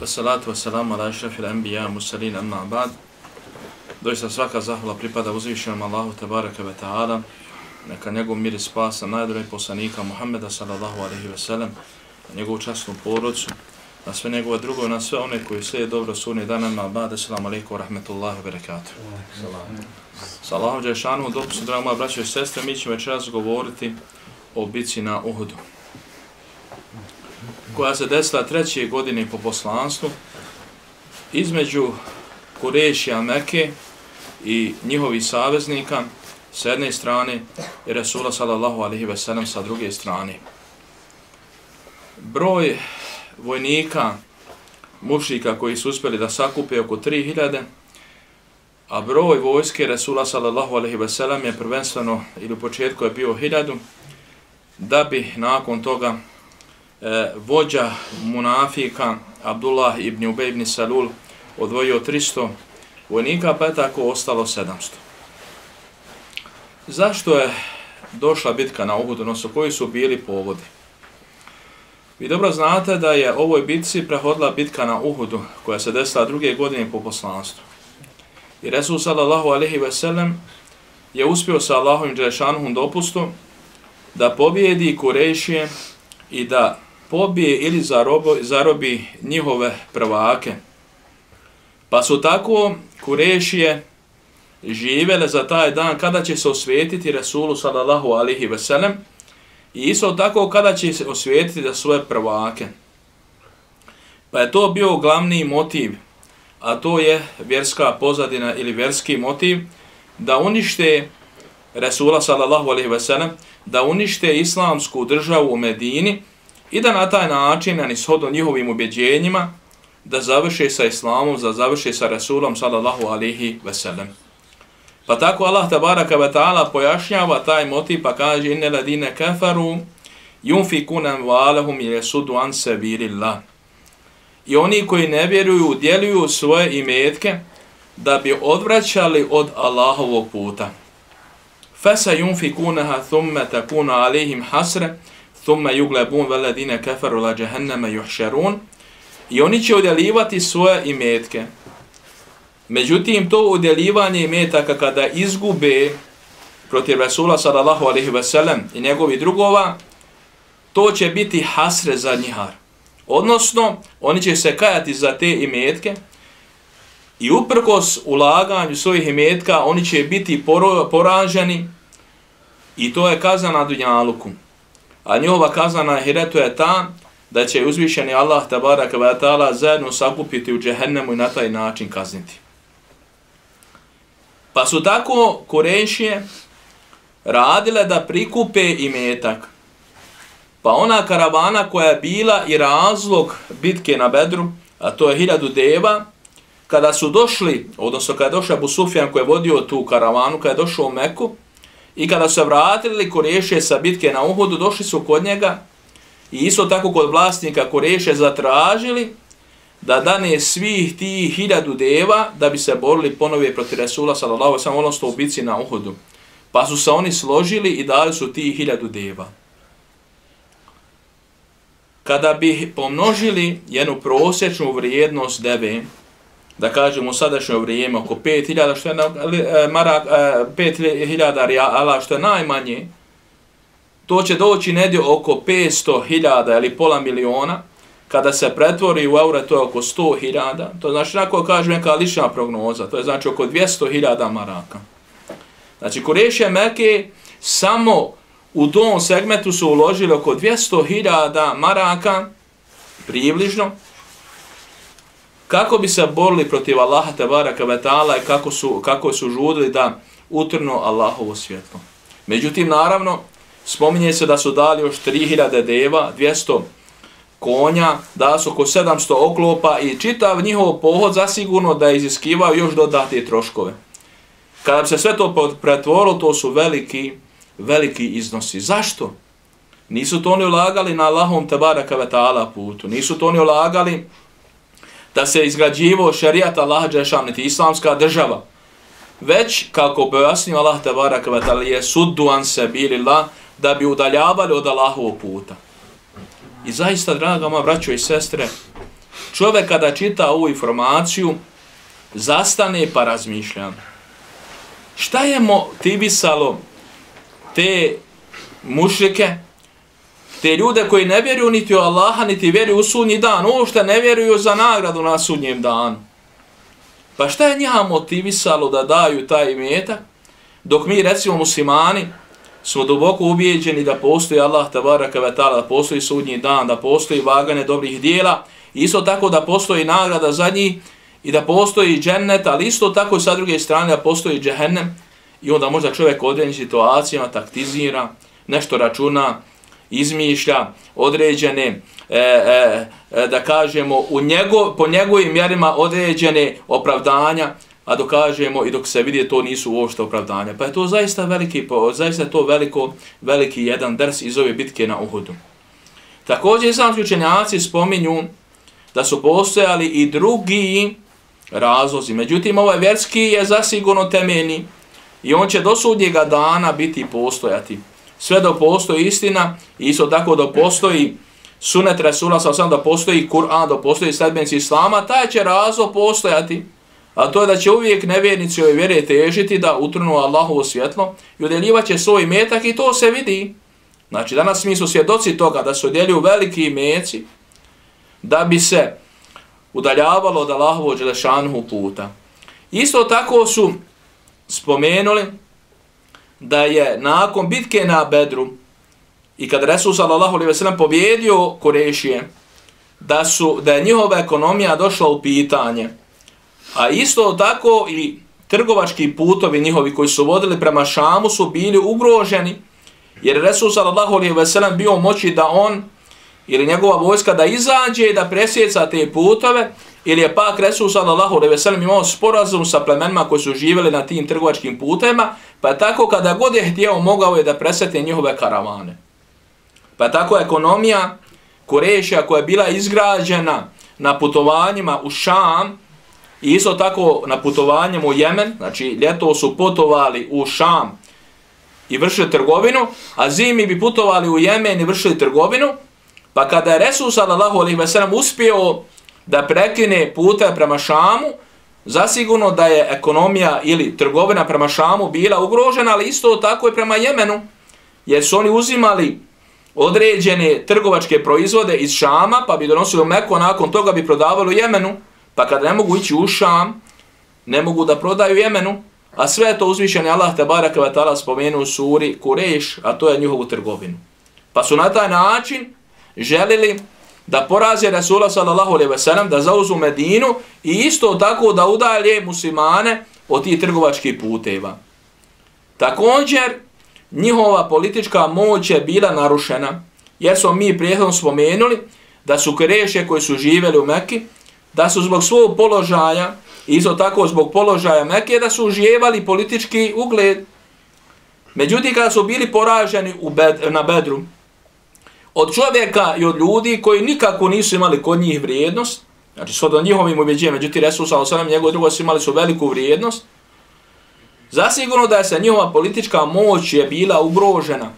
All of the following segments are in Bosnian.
Salatu wassalamu ala ašrafil anbiya mursalin amma ba'd. Doista svaka zahvala pripada uzvišenom Allahu tebareke ve ta'ala. Neka njegov mir i spas na najdolje poslanika Muhammeda sallallahu alejhi ve sellem, na njegovu časnu porodcu, na sve njegove drugo, na sve one koji slijede dobro sunni dan amma ba'd. Assalamu alejkum wa rahmatullahi wa barakatuh. Sa Allahom dželešanu dopustu, draga moja braćo i sestre, mi ćemo večeras govoriti o bitci na Uhudu, koja se desila 3. godine po poslanstvu između Kurešija Mekke i njihovih saveznika s jedne strane i Resula sallallahu alejhi ve sellem sa druge strane. Broj vojnika mušrika koji su uspjeli da sakupe oko 3000, a broj vojske Resula sallallahu alejhi ve sellem je prvenstveno ili u početku je bio 1000, da bi nakon toga vođa munafika Abdullah ibn Ubej ibn Salul odvojio 300 vojnika, pa je tako ostalo 700. Zašto je došla bitka na Uhudu, odnosno koji su bili povodi? Vi dobro znate da je ovoj bitci prehodila bitka na Uhudu, koja se desila 2. godine po poslanstvu. I Resul sallallahu alejhi ve sellem je uspio sa Allahovim dželešanuhum dopustom da pobjedi Kurešije i da pobije ili zarobi njihove prvake. Pa su tako Kurešije živele za taj dan kada će se osvetiti Resulu sallallahu alejhi ve sellem i isto tako kada će se osvetiti za svoje prvake. Pa je to bio glavni motiv, a to je vjerska pozadina ili vjerski motiv da unište Resula sallallahu alejhi ve sellem, da unište islamsku državu u Medini i da na taj način, na ishodu njihovim ubjeđenjima, da završe sa islamom, da završe sa Rasulom sallallahu alejhi ve sellem. Pa tako Allah tabaraka ve ta'ala pojašnjava taj motiv pa kaže inne ladine kafaru yunfikuna amwalahum yasuddu an sabilillah. I oni koji ne vjeruju udjeljuju svoje imetke da bi odvraćali od Allahovog puta. Fasa yunfikunaha thumma takunu alejhim hasra thumma yuglabun walladine kafaru la jahannama yuhsharun. I oni će udjeljivati svoje imetke. Međutim, to udjeljivanje imetaka kada izgube protiv Rasula sallallahu alejhi ve sellem i njegovi drugova, to će biti hasre za njihar. Odnosno, oni će se kajati za te imetke i uprkos ulaganju svojih imetka, oni će biti poraženi i to je kazna na dunjaluku. A njihova kazna na ahiretu je ta da će uzvišeni Allah tabaraka wa ta'ala zajedno sakupiti u džehennemu i na taj način kazniti. Pa su tako Kurešije radile da prikupe imetak. Pa ona karavana koja je bila i razlog bitke na Bedru, a to je 1000 deva, kada su došli, odnosno kada je došao Abu Sufjan koji je vodio tu karavanu, kada je došao u Meku, i kada su se vratili Kurešije sa bitke na Uhudu, došli su kod njega i isto tako kod vlasnika Kurešije zatražili da dane svih tih 1000 deva da bi se borili ponovo protiv Resula sallallahu alejhi ve sellem, odnosno u bitci na Uhudu. Pa su se oni složili i dali su tih 1000 deva. Kada bi pomnožili jednu prosječnu vrijednost deve, da kažemo u sadašnje vrijeme oko 5000 što je 5000 rijala što je najmanje, to će doći negdje oko 500.000 ili pola miliona. Kada se pretvori u eure, to je oko 100.000. To znači, ako kažem neka lična prognoza, to je znači oko 200.000 maraka. Znači, Kurešije Mekke samo u tom segmentu su uložili oko 200.000 maraka, približno, kako bi se borili protiv Allaha tebaraka ve ta'ala i kako su žudili da utrnu Allahovo svjetlo. Međutim, naravno, spominje se da su dali još 3000 deva, 200 konja, da su oko 700 oklopa i čitav njihov pohod zasigurno da je iziskivao još dodatne troškove. Kada bi se sve to pretvorilo, to su veliki iznosi. Zašto? Nisu to oni ulagali na Allahom tebaraka ve ta'ala putu. Nisu to oni ulagali da se izgrađivo šerijat Allaha dželešanu, niti islamska država. Već, kako pojasnio Allah tebaraka ve ta'ala, je suddu an sabilillah, da bi udaljavali od Allahovog puta. I zaista, draga moja braćo i sestre, čovjek kada čita ovu informaciju, zastane pa razmišlja. Šta je motivisalo te mušrike, te ljude koji ne vjeruju niti u Allaha, niti vjeruju u sudnji dan, uopšte ne vjeruju za nagradu na sudnjem danu? Pa šta je njiha motivisalo da daju taj imetak, dok mi, recimo muslimani, smo duboko ubijeđeni da postoji Allah tebaraka ve ta'ala, da postoji sudnji dan, da postoji vaganje dobrih dijela, isto tako da postoji nagrada za njih i da postoji džennet, ali isto tako i sa druge strane da postoji džehennem. I onda možda čovjek u određenim situacijama taktizira, nešto računa, izmišlja određene, da kažemo, po njegovim mjerima određene opravdanja, a dokažemo i dok se vidi to nisu uopšte opravdanja. Pa je to zaista veliki jedan ders iz ove bitke na Uhudu. Također islamski učenjaci spominju da su postojali i drugi razlozi. Međutim, ovaj vjerski je zasigurno temeljni i on će do sudnjega dana biti postojati. Sve dok postoji istina, isto tako da postoji sunet Resula, da postoji Kur'an, da postoji sledbenici Islama, taj će razlog postojati. A to je da će uvijek nevjernici ove vjere težiti da utrnu Allahovo svjetlo i udjeljivat će svoj imetak i to se vidi. Znači, danas mi su svjedoci toga da se udjeljuju veliki imeci da bi se udaljavalo od Allahovo dželešanuhu puta. Isto tako su spomenuli da je nakon bitke na Bedru i kad Resul sallallahu alejhi ve sellem pobjedio Kurešije, da je njihova ekonomija došla u pitanje. A isto tako i trgovački putovi njihovi koji su vodili prema Šamu su bili ugroženi, jer Resul sallallahu alejhi ve sellem bio moći da on ili njegova vojska da izađe i da presjeca te putove, ili je pak Resul sallallahu alejhi ve sellem imao sporazum sa plemenima koji su živjeli na tim trgovačkim putevima, pa je tako kada god je htio mogao je da presjeti njihove karavane. Pa je tako ekonomija Kurešija koja je bila izgrađena na putovanjima u Šam, i isto tako na putovanjem u Jemen, znači ljeto su putovali u Šam i vršili trgovinu, a zimi bi putovali u Jemen i vršili trgovinu, pa kada je Resul sallallahu alejhi ve sellem uspio da prekine pute prema Šamu, zasigurno da je ekonomija ili trgovina prema Šamu bila ugrožena, ali isto tako i prema Jemenu, jer su oni uzimali određene trgovačke proizvode iz Šama, pa bi donosili u Meku, a nakon toga bi prodavali u Jemenu, pa kada ne mogu ići u Šam, ne mogu da prodaju Jemenu, a sve je to uzvišeni Allah tebaraka ve ta'ala spomenuo u suri Kureš, a to je njihovu trgovinu. Pa su na taj način želili da poraze Resula sallallahu alejhi ve sellem, da zauzmu Medinu i isto tako da udalje muslimane od tih trgovačkih puteva. Također, njihova politička moć je bila narušena, jer smo mi prethodno spomenuli da su Kurešije koji su živjeli u Mekki, da su zbog svog položaja, isto tako zbog položaja Mekke, da su uživali politički ugled. Međutim, kada su bili poraženi na Bedru, od čovjeka i od ljudi koji nikako nisu imali kod njih vrijednost, znači sve do njihovim ubjeđenja, međutim Resul sallallahu alejhi ve sellem i njegovi drugovi su imali veliku vrijednost, zasigurno da je se njihova politička moć je bila ugrožena.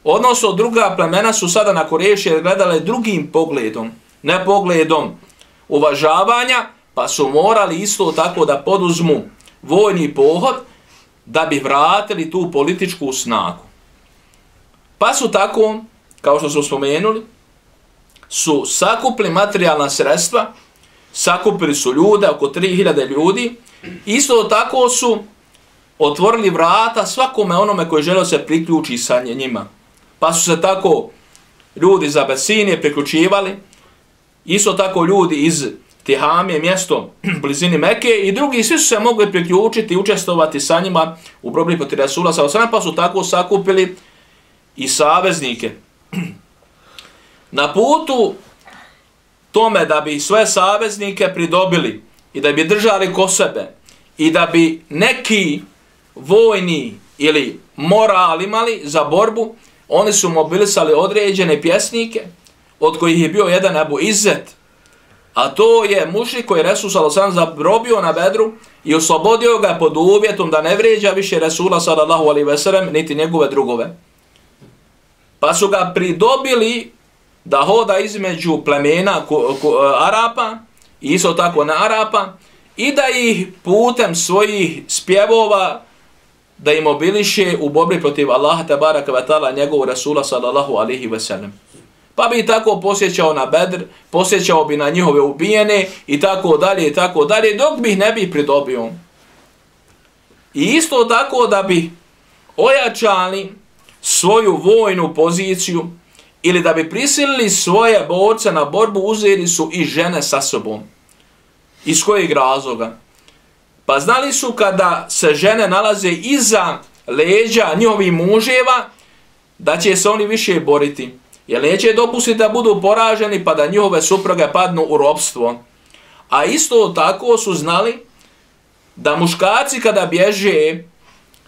Odnosno, druga plemena su sada na Kurešije gledale drugim pogledom, ne pogledom uvažavanja, pa su morali isto tako da poduzmu vojni pohod da bi vratili tu političku snagu. Pa su tako, kao što smo spomenuli, su sakupili materijalna sredstva, sakupili su ljude, oko 3000 ljudi, isto tako su otvorili vrata svakome onome koji želeo se priključi sa njima. Pa su se tako ljudi iz Abesinije priključivali, isto tako ljudi iz Tihamije, mjesto blizini Mekke, i drugi svi su se mogli priključiti i učestovati sa njima u borbi protiv Resula sallallahu alejhi ve sellem, pa su tako sakupili i saveznike. Na putu tome da bi svoje saveznike pridobili i da bi držali ko sebe i da bi neki vojni ili moral imali za borbu, oni su mobilisali određene pjesnike, od kojih je bio jedan Ebu Izzet, a to je mušrik koji je Resul sallallahu alejhi ve sellem zarobio na Bedru i oslobodio ga pod uvjetom da ne vrijeđa više Resula sallallahu alejhi ve sellem niti njegove drugove. Pa su ga pridobili da hoda između plemena Arapa i isto tako na Arapa i da ih putem svojih spjevova da im mobiliše u borbi protiv Allaha tebaraka ve taala njegovog Resula sallallahu alejhi ve sellem. Pa bi tako posjećao na Bedr, posjećao bi na njihove ubijene i tako dalje, dok bi ih ne bi pridobio. I isto tako da bi ojačali svoju vojnu poziciju ili da bi prisilili svoje borce na borbu, uzeli su i žene sa sobom. Iz kojeg razloga? Pa znali su kada se žene nalaze iza leđa njihovih muževa, da će se oni više boriti. Jer neće dopustiti da budu poraženi pa da njihove supruge padnu u ropstvo. A isto tako su znali da muškarci kada bježe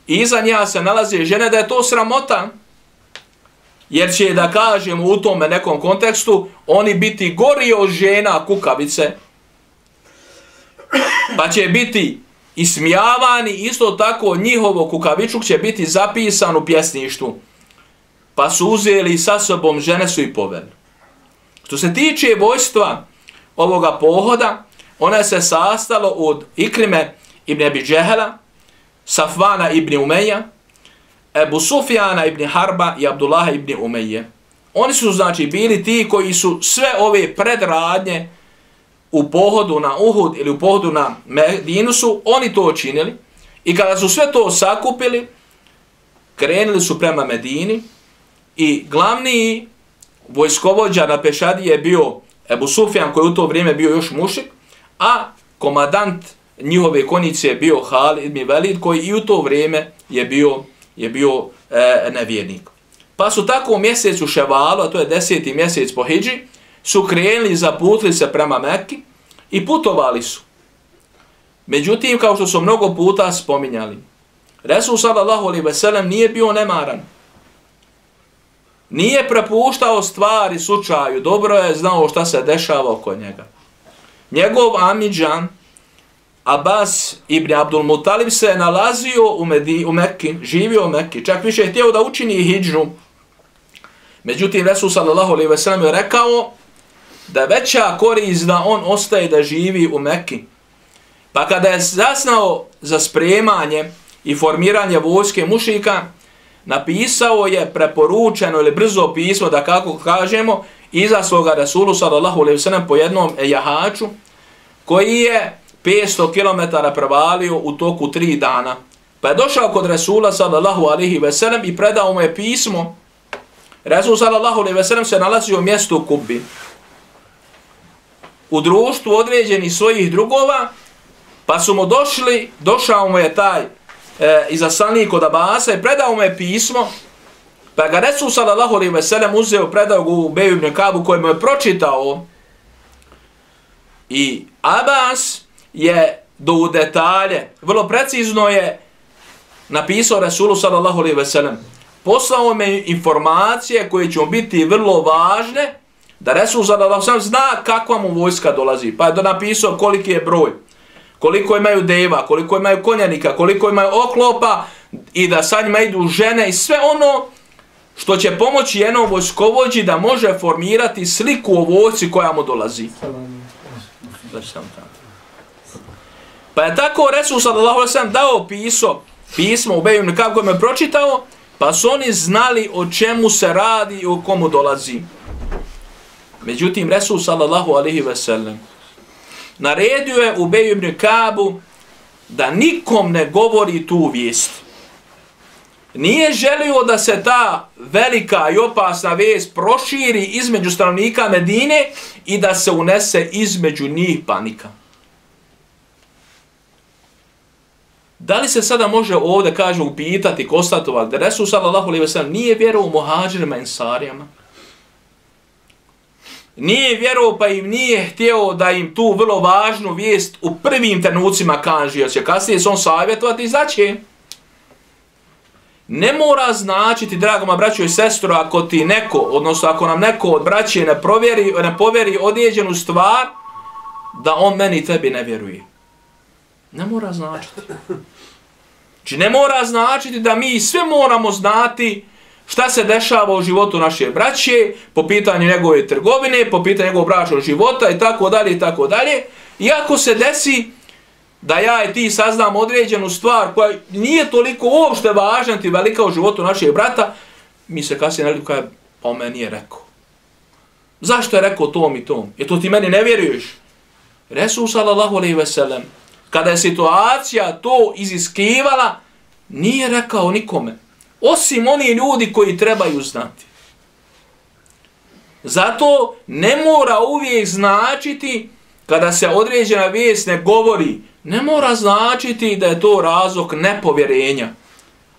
i iza nja se nalaze žene, da je to sramota. Jer će, da kažemo u tome nekom kontekstu, oni biti gori od žena kukavice. Pa će biti ismijavani, isto tako njihovo kukavičuk će biti zapisan u pjesništvu. Pa su uzeli sa sobom, žene su i poveli. Što se tiče vojstva ovoga pohoda, ona se sastalo od Ikrime ibn Abi Džehela, Safvana ibn Umeja, Ebu Sufjana ibn Harba i Abdullaha ibn Umeje. Oni su znači bili ti koji su sve ove predradnje u pohodu na Uhud ili u pohodu na Medinu su oni to činili i kada su sve to sakupili, krenuli su prema Medini i glavni vojskovođa na pešadi je bio Ebu Sufjan koji u to vrijeme bio još mušik, a komadant njihove konjice je bio Halid ibn Velid koji i u to vrijeme je bio nevjernik. Pa su tako u mjesecu Ševalu, a to je 10. mjesec po hidži, su krenuli, zaputili se prema Mekki i putovali su. Međutim, kao što su mnogo puta spominjali, Resul sallallahu alejhi ve sellem nije bio nemaran. Nije prepuštao stvari slučaju, dobro je znao šta se dešava oko njega. Njegov amidžan, Abbas ibn Abdul Mutalib, se nalazio u Mekki, živio u Mekki, čak više je htio da učini hidžu. Međutim, Resul sallallahu alejhi ve sellem je rekao da je veća korist da on ostaje da živi u Mekki. Pa kada je zasnao za spremanje i formiranje vojske mušrika, napisao je preporučeno ili brzo pismo, da kako kažemo, izaslao ga Resulu sallallahu alejhi ve sellem po jednom jahaču, koji je 500 km prevalio u toku 3 dana. Pa je došao kod Resula sallallahu alejhi ve sellem i predao mu je pismo. Resul sallallahu alejhi ve sellem se nalazio u mjestu Kubi, u društvu određenih svojih drugova, pa su mu došao mu je taj izaslanik od Abasa i predao mu je pismo, pa ga Resul sallallahu alejhi ve sellem uzeo, predao ga Ubeju ibn Kabu koji mu je pročitao. I Abbas je do detalje, vrlo precizno je napisao Resulu sallallahu alejhi ve sellem. Poslao me informacije koje će mu biti vrlo važne, da Resul sallallahu alejhi ve sellem zna kakva mu vojska dolazi. Pa je napisao koliki je broj, koliko imaju deva, koliko imaju konjanika, koliko imaju oklopa i da sa njima idu žene i sve ono što će pomoći jednom vojskovođi da može formirati sliku o vojsci koja mu dolazi. Pa je tako Resul sallallahu alejhi ve sellem dao pismo Ubeju ibn Kabu koji me pročitao, pa su oni znali o čemu se radi i o komu dolazi. Međutim, Resul sallallahu alejhi ve sellem naredio je Ubeju ibn Kabu da nikom ne govori tu vijest. Nije želio da se ta velika i opasna vijest proširi između stanovnika Medine i da se unese između njih panika. Da li se sada može ovdje, kaže, upitati, konstatovati da Resul sallallahu alejhi ve sellem nije vjerovao muhadžirima i ensarijama? nije vjerovao pa im nije htio da im tu vrlo važnu vijest u prvim trenucima kaže, jer će kasnije se on savjetovati i zaće. Ne mora značiti, drago moja braćo i sestro, ako ti neko, odnosno ako nam neko od braće ne povjeri određenu stvar, da on meni i tebi ne vjeruje. Ne mora značiti. Znači ne mora značiti da mi sve moramo znati šta se dešava u životu naše braće, po pitanju njegove trgovine, po pitanju njegovog bračnog života i tako dalje i tako dalje. Iako se desi da ja i ti saznam određenu stvar koja nije toliko uopšte važna ti velika u životu našeg brata, mi se kasnije ne kaže, pa on meni nije rekao. Zašto je rekao tom i tom? Jer to ti meni ne vjeruješ. Resul sallallahu alejhi ve sellem, kada je situacija to iziskivala, nije rekao nikome. Osim oni ljudi koji trebaju znati. Zato ne mora uvijek značiti, kada se određena vijest ne govori, ne mora značiti da je to razlog nepovjerenja.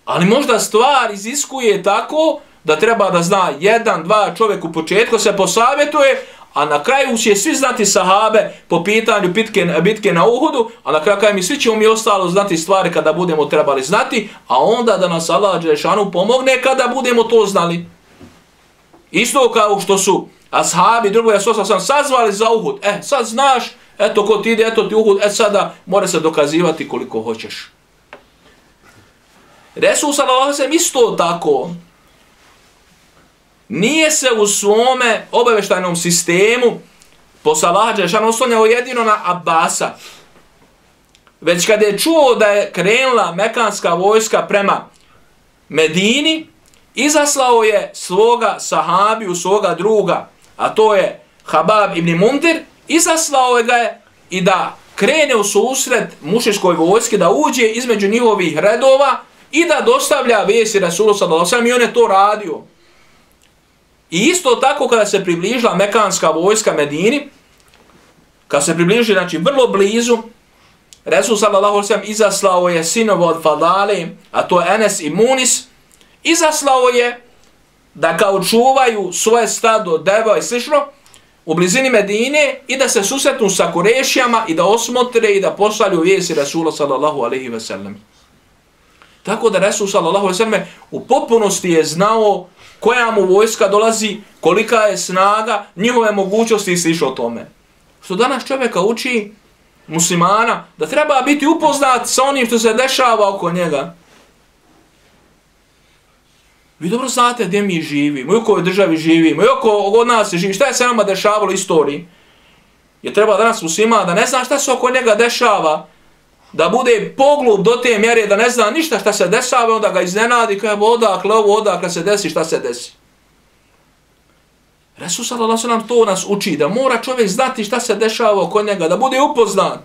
Ali možda stvar iziskuje tako da treba da zna jedan, dva čovjek u početku se posavjetuje, a na kraju će svi znati sahabe po pitanju bitke na Uhudu, a na kraju mi svi ćemo mi ostalo znati stvari kada budemo trebali znati, a onda da nas Allah dželešanu pomogne kada budemo to znali. Isto kao što su ashabi drugog Resulullah sam sazvali za Uhud. Sad znaš, eto ko ti ide, eto ti Uhud, sada mora se dokazivati koliko hoćeš. Resul sallallahu alejhi ve sellem isto tako nije se u svome obavještajnom sistemu posle Allaha dželešanu oslanjao jedino na Abasa. Već kada je čuo da je krenula mekanska vojska prema Medini, izaslao je svoga sahabiju, svoga druga, a to je Habab ibn Mundir, izaslao je ga je i da krene u susret mušičkoj vojski, da uđe između njihovih redova i da dostavlja vijesti Resulu sallallahu alejhi ve sellem, i on je to radio. I isto tako kada se približila mekanska vojska Medini, kada se približila, znači vrlo blizu, Resul sallallahu alejhi ve sellem izaslao je sinova od Fadale, a to je Enes i Munis, izaslao je da kao čuvaju svoje stado, deva i slično u blizini Medine i da se susretnu sa Kurešijama i da osmotre i da pošalju vijesti Resula sallallahu alejhi ve sellem. Tako da Resul sallallahu alejhi ve sellem u potpunosti je znao koja mu vojska dolazi, kolika je snaga, njihove mogućnosti i slično o tome. Što danas čovjeka uči, muslimana, da treba biti upoznat sa onim što se dešava oko njega. Vi dobro znate gdje mi živimo, i u kojoj državi živimo, i oko nas se živi, šta je se nama dešavalo u istoriji. Je treba danas muslima da ne zna šta se oko njega dešava, da bude poglub do te mjere da ne zna ništa šta se dešava, onda ga iznenadi, kaže odakle ovo, odakle se desi, šta se desi. Resul sallallahu alejhi ve sellem to nas uči, da mora čovjek znati šta se dešava oko njega, da bude upoznan,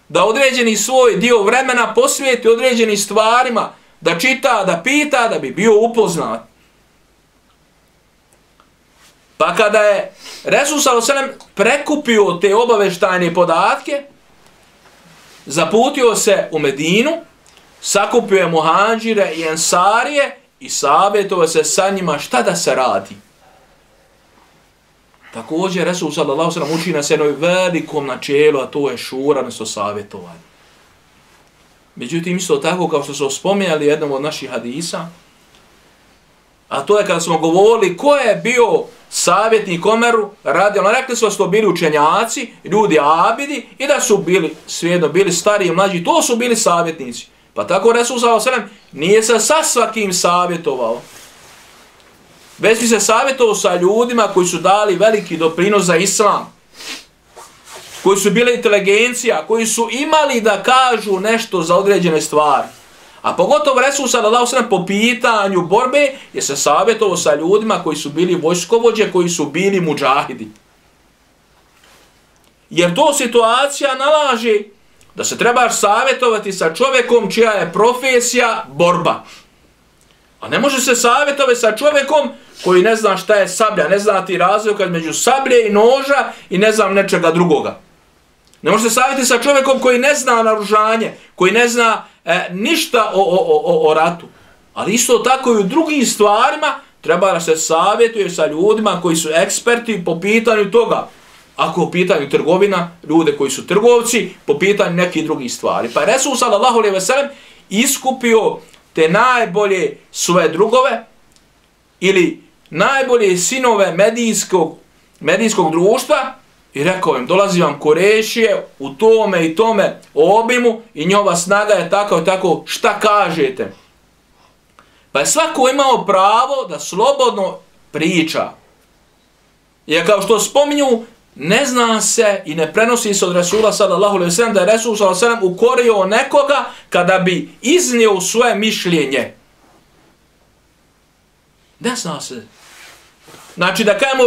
da određeni svoj dio vremena posvijeti određenim stvarima, da čita, da pita, da bi bio upoznat. Pa kada je Resul sallallahu alejhi ve sellem prekupio te obavještajne podatke, zaputio se u Medinu, sakupio je muhadžire i ensarije i savjetovao se sa njima šta da se radi. Također Resul sallallahu alejhi ve sellem uči nas jednom velikom načelu, a to je šura, odnosno savjetovanje. Međutim, isto tako kao što smo spominjali jednom od naših hadisa, a to je kada smo govorili ko je bio savjetnik Omeru, rekli smo da su to bili učenjaci, ljudi abidi i da su bili svejedno, bili stari i mlađi, to su bili savjetnici. Pa tako Resul sallallahu alejhi ve sellem nije se sa svakim savjetovao. Već bi se savjetovao sa ljudima koji su dali veliki doprinos za islam, koji su bili inteligencija, koji su imali da kažu nešto za određene stvari. A pogotovo Resul sallallahu alejhi ve sellem po pitanju borbe je se savjetovao sa ljudima koji su bili vojskovođe, koji su bili mudžahidi. Jer to situacija nalaže da se trebaš savjetovati sa čovjekom čija je profesija borba. A ne može se savjetovati sa čovjekom koji ne zna šta je sablja, ne zna ti razlika između sablje i noža i ne znam nečega drugoga. Ne može se savjetovati sa čovjekom koji ne zna naoružanje, koji ne zna ništa o ratu. Ali isto tako i u drugim stvarima treba da se savjetuje sa ljudima koji su eksperti po pitanju toga. Ako u pitanju trgovina, ljude koji su trgovci, po pitanju nekih drugih stvari. Pa je Resul sallallahu alejhi ve sellem iskupio te najbolje svoje drugove ili najbolje sinove medijskog društva i rekao im, dolazi vam Kurešije u tome i tome obimu i njova snaga je tako i tako, šta kažete? Pa je svako imao pravo da slobodno priča. Jer kao što spominju, ne zna se i ne prenosi se od Resula sallallahu alejhi ve sellem da je Resul sallallahu alejhi ve sellem ukorio nekoga kada bi iznio svoje mišljenje. Ne zna se. Znači da kažemo,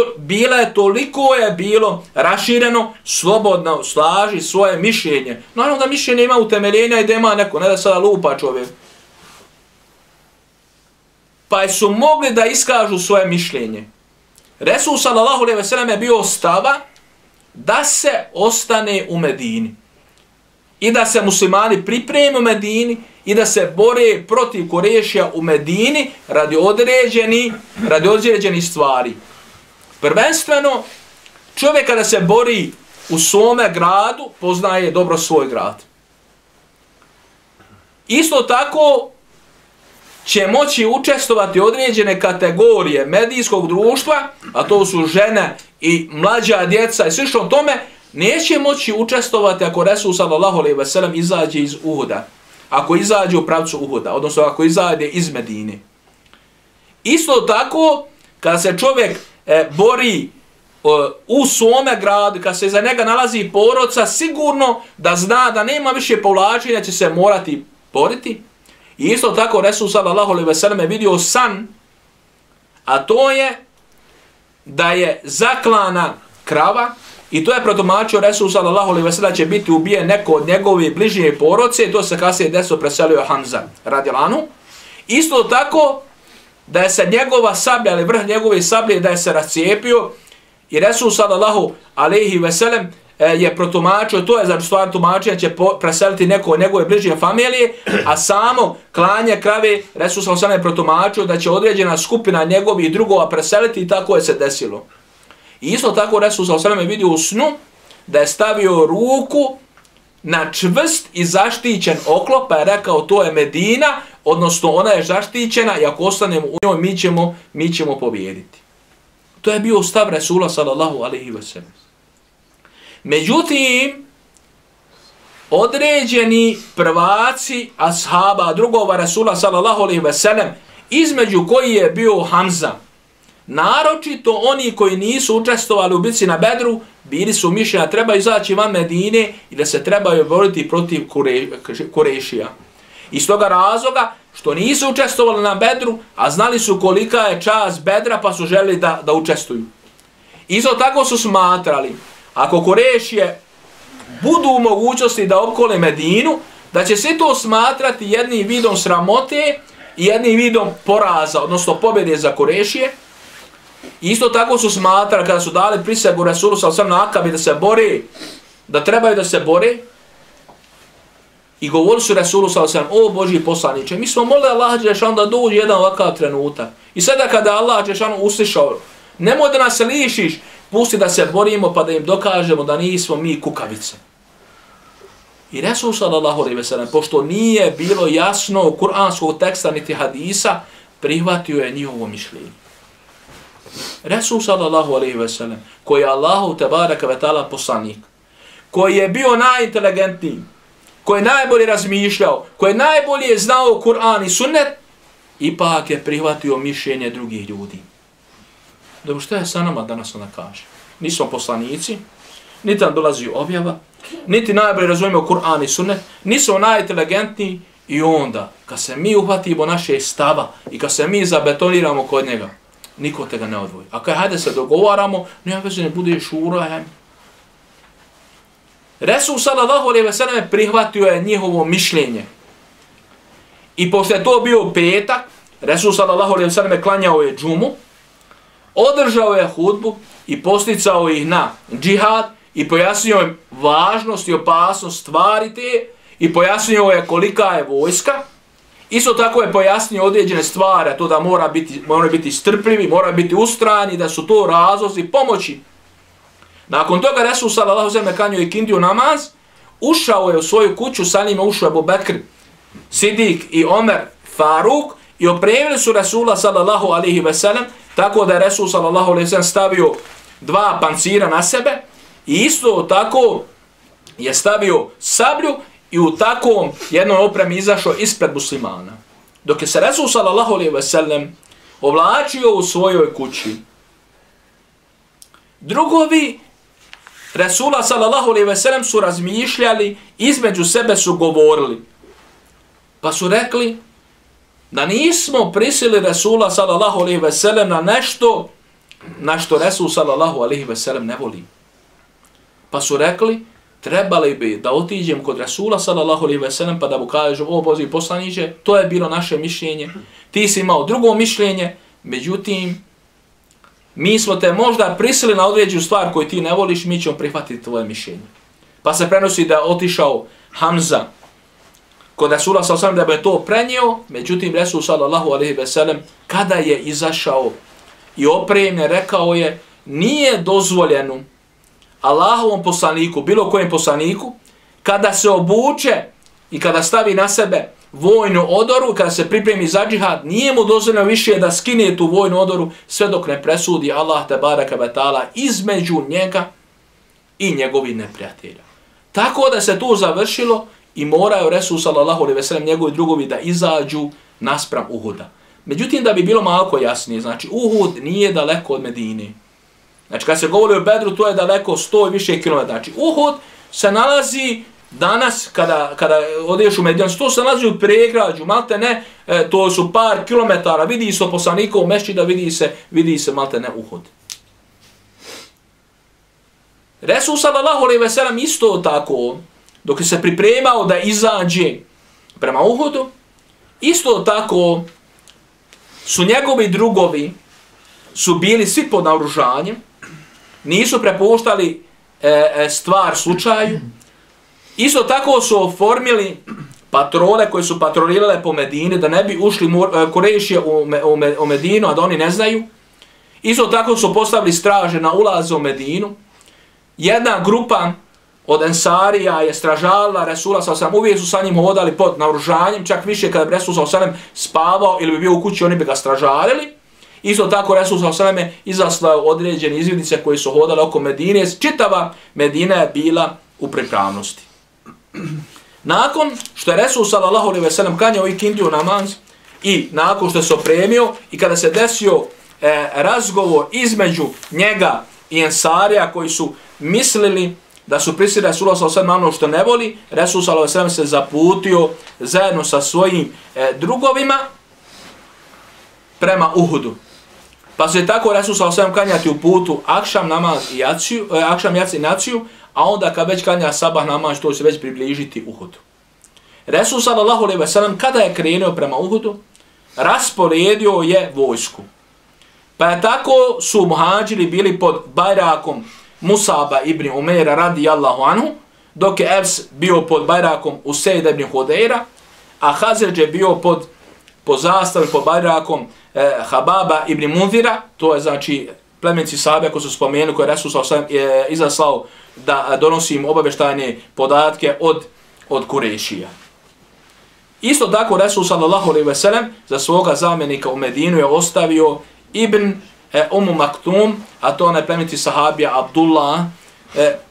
toliko je bilo rašireno, slobodno slaži svoje mišljenje. Naravno da mišljenje ima utemeljenja i da ima neko, ne da sada lupa čovjek. Pa su mogli da iskažu svoje mišljenje. Resul sallallahu alejhi ve sellem je bio stava da se ostane u Medini. I da se muslimani pripreme u Medini i da se bore protiv Kurešija u Medini radi određenih stvari. Prvenstveno, čovjek kada se bori u svome gradu, poznaje dobro svoj grad. Isto tako će moći učestvovati određene kategorije medijskog društva, a to su žene i mlađa djeca i slično tome, neće moći učestvovati ako Resul sallallahu alejhi ve sellem izađe iz Uhuda. Ako izađe u pravcu Uhuda, odnosno ako izađe iz Medine. Isto tako, kada se čovjek bori u svome gradu, kada se iza njega nalazi porodica, sigurno da zna da nema više povlačenja, će se morati boriti. I isto tako Resul sallallahu alejhi ve sellem je vidio san, a to je da je zaklana krava i to je protumačio Resul sallallahu alejhi ve sellem će biti ubijen neko od njegove bližnje porodice, to se kasnije desilo, preselio Hamza radijallahu anhu. Isto tako da je se njegova sablja, ali vrh njegove sablje da je se rascijepio i Resul sallallahu alejhi ve sellem je protumačio, to je za stvar tumačenja, će preseliti neko od njegove bližnje familije, a samo klanje krave Resul sallallahu alejhi ve sellem je protumačio da će određena skupina njegovih drugova preseliti i tako je se desilo. I isto tako Resul sallallahu alejhi ve sellem je vidio u snu da je stavio ruku na čvrst i zaštićen oklop, pa je rekao to je Medina, odnosno ona je zaštićena i ako ostanemo u njoj mi ćemo pobijediti. To je bio stav Resula sallallahu alejhi ve sellem. Međutim, određeni prvaci ashaba drugova Resula sallallahu alejhi ve sellem, između koji je bio Hamza, naročito oni koji nisu učestvovali u bitci na Bedru, bili su mišljenja treba izaći van Medine i da se trebaju boriti protiv Kurešija. Iz toga razloga što nisu učestvovali na Bedru, a znali su kolika je čast Bedra, pa su želeli da učestvuju. Isto tako su smatrali, ako Kurešije budu u mogućnosti da opkole Medinu, da će se to smatrati jednim vidom sramote i jednim vidom poraza, odnosno pobjede za Kurešije. Isto tako su smatrali kada su dali prisegu Resulu sallallahu alejhi ve sellem na Akabi da se bore, da trebaju da se bore, i govorili su Resulu sallallahu alejhi ve sellem, o Božji poslaniče, mi smo molili Allaha dželešanu da dođe jedan ovakav trenutak. I sada kada Allah dželešanu uslišao, nemoj da nas lišiš, pusti da se borimo pa da im dokažemo da nismo mi kukavice. I Resul sallallahu alejhi ve sellem, pošto nije bilo jasno kuranskog teksta niti hadisa, prihvatio je njihovo mišljenje. Resul sallallahu alejhi ve sellem, koji je Allahu tebareke ve taala poslanik, koji je bio najinteligentniji, koji je najbolje razmišljao, koji je najbolje znao Kur'an i sunnet, ipak je prihvatio mišljenje drugih ljudi. Dobro, što je sa nama danas ona kaže? Nismo poslanici, niti nam dolazi objava, niti najbolje razumijemo Kur'an i sunnet, nismo najinteligentniji i onda, kad se mi uhvatimo naše stava i kad se mi zabetoniramo kod njega, niko te ga ne odvoji. A kad hajde se dogovaramo, nema veze ne bude šura. Resul sallallahu alejhi ve sellem prihvatio je njihovo mišljenje. I pošto je to bio petak, Resul sallallahu alejhi ve sellem klanjao je džumu, održao je hudbu i posticao ih na džihad i pojasnio im važnost i opasnost stvari te i pojasnio je kolika je vojska Isto tako je pojasnio određene stvari, to da mora biti strpljivi, mora biti ustrajni, da su to razlozi pomoći. Nakon toga Resul sallallahu alejhi ve sellem klanjao ikindiju namaz, ušao je u svoju kuću, sa njima ušao Abu Bekr, Sidik i Omer, Faruk, i opremili su Resula sallallahu alejhi ve sellem, tako da je Resul sallallahu alejhi ve sellem stavio 2 pancira na sebe i isto tako je stavio sablju i u takvom jednom opremi izašao ispred muslimana. Dok je se Resul sallallahu alejhi ve sellem ovlačio u svojoj kući, drugovi Resula sallallahu alejhi ve sellem su razmišljali, između sebe su govorili. Pa su rekli da nismo prisili Resula sallallahu alejhi ve sellem na nešto na što Resul sallallahu alejhi ve sellem ne voli. Pa su rekli, trebali bi da otiđem kod Resula sallallahu alejhi ve sellem pa da mu kažem, o Božji poslaniče, to je bilo naše mišljenje, ti si imao drugo mišljenje, međutim, mi smo te možda prisili na određenu stvar koju ti ne voliš, mi ćemo prihvatiti tvoje mišljenje. Pa se prenosi da je otišao Hamza kod Resula sallallahu alejhi ve sellem da bi to prenio, međutim Resul sallallahu alejhi ve sellem kada je izašao i opremljen, rekao je, nije dozvoljeno Allahovom poslaniku, bilo kojem poslaniku, kada se obuče i kada stavi na sebe vojnu odoru, kada se pripremi za džihad, nije mu dozvoljeno više da skine tu vojnu odoru sve dok ne presudi Allah te baraka ve taala između njega i njegovih neprijatelja. Tako da se tu završilo i moraju Resul sallallahu alejhi ve sellem njegovi drugovi da izađu naspram Uhuda. Međutim, da bi bilo malo jasnije, znači Uhud nije daleko od Medine. Znači, kad se govori o Bedru, to je daleko 100 i više kilometara. Znači, Uhud se nalazi danas, kada odeš u Medinu, to se nalazi u pregrađu, malte ne, to su par kilometara, vidi se poslanikov mešćida, vidi se malte ne Uhud. Resul sallallahu alejhi ve sellem isto tako, dok se pripremao da izađe prema Uhudu, isto tako su njegovi drugovi su bili svi pod naoružanjem, nisu prepuštali stvar slučaju. Isto tako su oformili patrole koje su patrolirale po Medini, da ne bi ušli Kurejšije u Medinu, a da oni ne znaju. Isto tako su postavili straže na ulazu u Medinu. Jedna grupa od Ensarija je stražala Resula sallallahu alejhi ve sellem, uvijek su sa njim hodali pod naoružanjem, čak više kada bi Resul sallallahu alejhi ve sellem spavao ili bi bio u kući, oni bi ga stražarili. Isto tako Resul sallallahu alejhi ve sellem izaslao određene izvidnice koji su hodali oko Medine, čitava Medina je bila u pripravnosti. Nakon što je Resul sallallahu alejhi ve sellem klanjao ikindiju namaz i nakon što se opremio i kada se desio razgovor između njega i Ensarija koji su mislili da su prisili Resula sallallahu alejhi ve sellem na ono što ne voli, Resul sallallahu alejhi ve sellem se zaputio zajedno sa svojim drugovima prema Uhudu. Pa se tako Resul sallallahu alejhi ve sellem klanjati u putu akšam namaz i jaciju, akšam jaci naciju, a onda kad već klanja sabah namaz, to se već približiti Uhudu. Resul sallallahu alejhi ve sellem kada je krenuo prema Uhudu, rasporedio je vojsku. Pa je tako su muhadžiri bili pod bajrakom Musaba ibn Umeira radijallahu anhu, dok je Evs bio pod bajrakom Useida ibn Hudeira, a Hazređ je bio pod zastavom, pod bajrakom Hababa ibn Munzira, to je znači plemenci sahabe koji su spomenuli, koje Resul sallallahu alejhi ve sellem izaslao da donosi im obavještajne podatke od Kurejšija. Isto tako Resul sallallahu alejhi ve sellem za svoga zamjenika u Medinu je ostavio Ibn Maktum, a to onaj plemeniti sahabija Abdullah,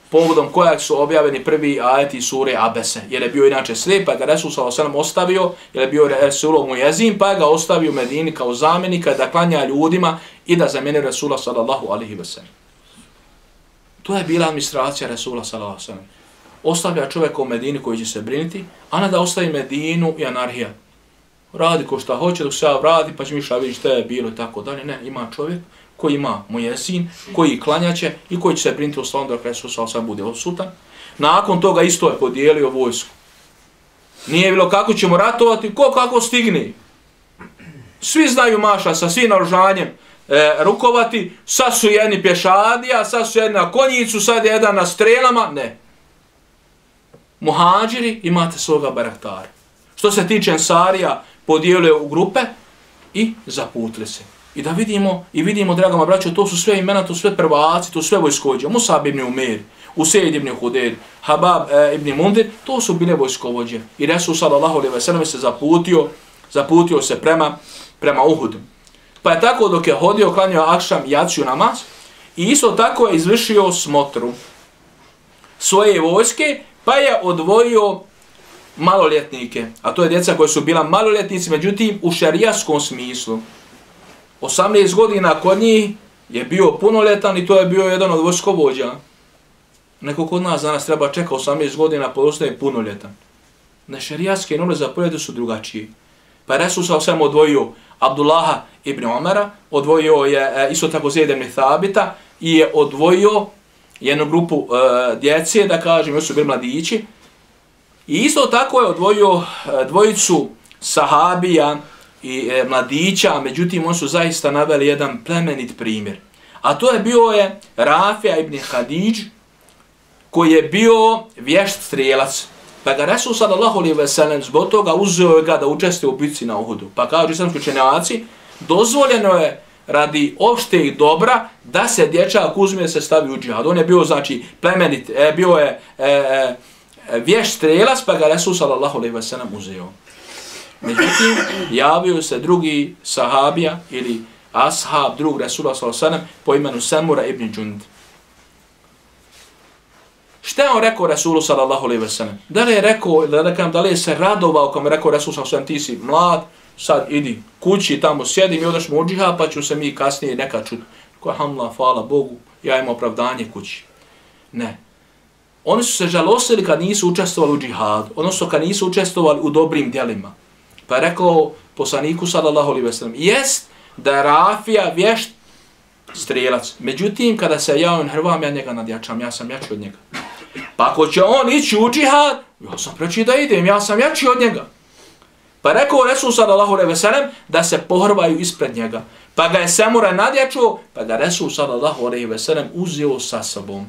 povodom kojeg su objavljeni prvi ajeti sure Abese, jer je bio inače slijep, pa ga Resul sallallahu alejhi ve sellem ostavio, jer je bio Resulov muezin, pa ga ostavio u Medini kao zamjenika da klanja ljudima i da zamijeni Resula sallallahu alejhi ve sellem. To je bila administracija Resula sallallahu alejhi ve sellem. Ostavlja čovjeka u Medini koji će se briniti, a ne da ostavi Medinu i anarhija. Radi ko šta hoće, dok se ja vrati, pa će mi šta vidjeti šta je bilo i tako dalje. Ne, ima čovjek koji ima muezin, koji klanjaće i koji će se briniti o slavom dok Resul sallallahu alejhi ve sellem bude odsutan. Nakon toga isto je podijelio vojsku. Nije bilo kako ćemo ratovati, ko kako stigne. Svi znaju maša sa svim naoružanjem rukovati, sad su jedni pješadija, sad su jedni na konjicu, sad je jedan na strelama, ne. Muhadžiri imate svoga baraktara. Što se tiče Ensarija, podijelio u grupe i zaputili se. I da vidimo, draga moja braćo, to su sve imena, to su sve prvaci, to su sve vojskovođe. Musab ibn Umer, Usejd ibn Huder, Habab ibn Mundir, to su bile vojskovođe. I Resul sallallahu alejhi ve sellem se zaputio se prema Uhudu. Pa je tako dok je hodio, klanjao akšam i jaciju namaz i isto tako je izvršio smotru svoje vojske, pa je odvojio maloljetnike, a to je djeca koja su bila maloljetnici, međutim u šerijaskom smislu. 18 godina kod njih je bio punoljetan i to je bio jedan od vojskovođa. Neko kod nas danas treba čeka 18 godina pa ostaje punoljetan. Na šerijatske norme za poljete su drugačije. Pa je Resul sallallahu alejhi ve sellem odvojio Abdullaha ibn Omara, odvojio je isto tako Zeid ibn Thabita i je odvojio jednu grupu djece, da kažem, još su bili mladići. I isto tako je odvojio dvojicu sahabija i mladića, međutim oni su zaista naveli jedan plemenit primjer. A to je bio Rafija ibn Hadidž, koji je bio vješt strijelac. Pa ga Resul sallallahu alejhi ve sellem zbog toga uzeo ga da učestvuje u bitci na Uhudu. Pa kažu islamski učenjaci, dozvoljeno je radi opšteg dobra da se dječak uzme se stavi u džihad. On je bio znači plemenit, bio je vješt strijelac, pa ga Resul sallallahu alejhi ve sellem uzeo. Međutim, javio se drugi sahabija ili ashab drug Resula sallallahu alejhi ve sellem po imenu Samura ibn Džund. Šta je on rekao Resulu sallallahu alejhi ve sellem? Da li je rekao, da li je se radovao kao mi rekao Resul sallallahu alejhi ve sellem, ti si mlad, sad idi kući, tamo sjedi, mi odeš u džihad, pa ću se mi kasnije nekad čuti. Koja hamla, hvala Bogu, ja imam opravdanje kući. Ne. Oni su se žalostili kad nisu učestvovali u džihadu, odnosno kad nisu učestvovali u dobrim djelima. Pa je rekao poslaniku sallallahu alejhi ve sellem, jest da je Rafija vješt strijelac. Međutim, kada se ja on hrvam, ja njega nadjačam, ja sam jači od njega. Pa ako će on ići u džihad, ja sam preći da idem, ja sam jači od njega. Pa je rekao Resul sallallahu alejhi ve sellem da se pohrvaju ispred njega. Pa ga je Samura nadjačao, pa ga Resul sallallahu alejhi ve sellem uzeo sa sobom.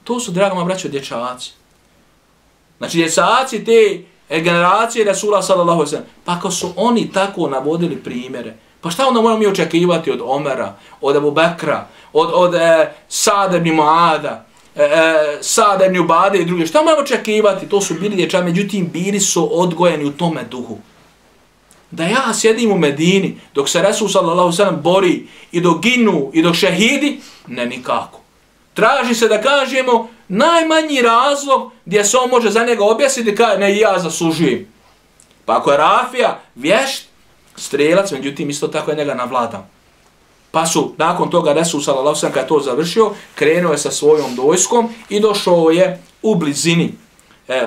To su, draga moja braćo, dječaci. Znači, dječaci te generacije Resula sallallahu alejhi ve sellem. Pa ako su oni tako navodili primjere, pa šta onda moramo mi očekivati od Omera, od Abu Bekra, od Sa'da ibn Muada, Sa'da ibn Ubade i druge? Šta moramo očekivati? To su bili dječaci, međutim bili su odgojeni u tome duhu. Da ja sjedim u Medini dok se Resul sallallahu alejhi ve sellem bori i dok ginu i dok šehidi, ne nikako. Traži se da kažemo najmanji razlog gdje se on može za njega objasniti, kaže ne, ja zaslužujem. Pa ako je Rafija vješt strijelac, međutim isto tako je njega navladao. Pa su nakon toga Resul sallallahu alejhi ve sellem kad je to završio, krenuo je sa svojom vojskom i došao je u blizini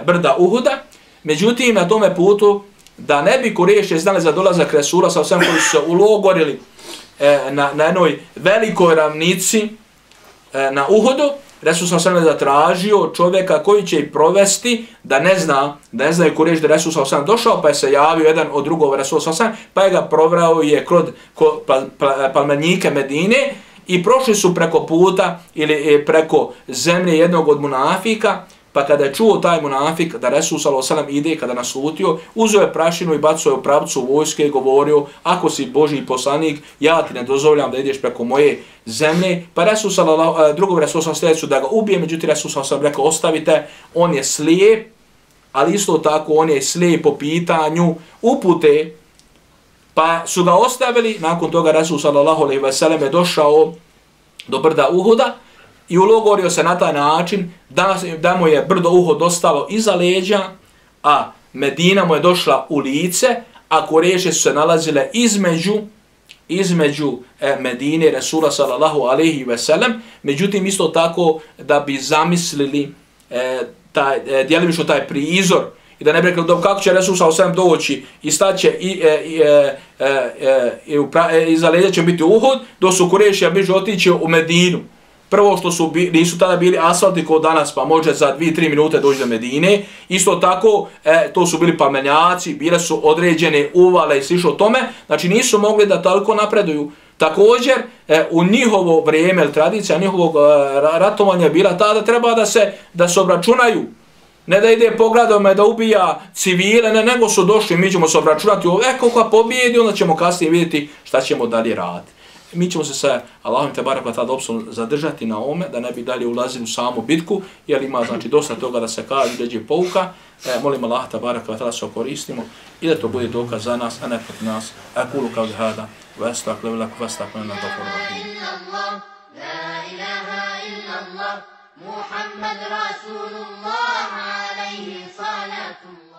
brda Uhuda. Međutim na tome putu da ne bi Kurejši znali za dolazak Resula sallallahu alejhi ve sellem, koji su se ulogorili na jednoj velikoj ravnici na Uhudu, Resul sallallahu alejhi ve sellem zatražio čovjeka koji će ih provesti da ne znaju Kurejši da Resul sallallahu alejhi ve sellem došao, pa je se javio jedan od drugova Resul sallallahu alejhi ve sellem, pa je ga provrao je kroz palmenike Medine i prošli su preko puta ili preko zemlje jednog od munafika. Pa kada je čuo taj munafik da Resul sallallahu alejhi ve sellem ide, kada naslutio, uzeo je prašinu i bacio je u pravcu vojske i govorio, ako si Božji poslanik, ja ti ne dozvoljam da ideš preko moje zemlje. Pa drugog Resul sallallahu alejhi ve sellem da ga ubije, međutim Resul sallallahu alejhi ve sellem rekao, ostavite, on je slijep, ali isto tako on je slijep po pitanju upute. Pa su ga ostavili, nakon toga Resul sallallahu alejhi ve sellem je došao do brda Uhuda i ulogorio se na taj način da mu je brdo Uhud ostalo iza leđa, a Medina mu je došla u lice, a Kurejši su se nalazile između Medine Resula sallallahu alejhi ve sellem. Međutim, isto tako da bi zamislili djelimično taj prizor i da ne bi rekli kako će Resul sallallahu alejhi ve sellem doći i staće iza leđa će biti Uhud, dok su Kurejši bliže otići u Medinu. Prvo što nisu tada bili asfalti kao danas, pa može za 2-3 minute doći do Medine. Isto tako, to su bili palmenjaci, bile su određene uvale i slično tome. Znači nisu mogli da toliko napreduju. Također, u njihovo vrijeme, tradicija njihovog ratovanja je bila tada, treba da se obračunaju Ne da ide pogradom da ubija civile, ne, nego su došli, mi ćemo se obračunati, kako pobijedi, onda ćemo kasnije vidjeti šta ćemo dalje raditi. Mi ćemo se sa Allahom te barek tada zadržati na ome, da ne bi dalje ulazili u samu bitku, jer ima znači dosta toga da se kaže, dođe pouka. Molim Allah te barek tada se koristimo i da to bude dokaz za nas, a ne protiv nas. Aqulu qawli hada wa astaghfiru lakum fastaghfiruhu محمد رسول الله عليه صلاة الله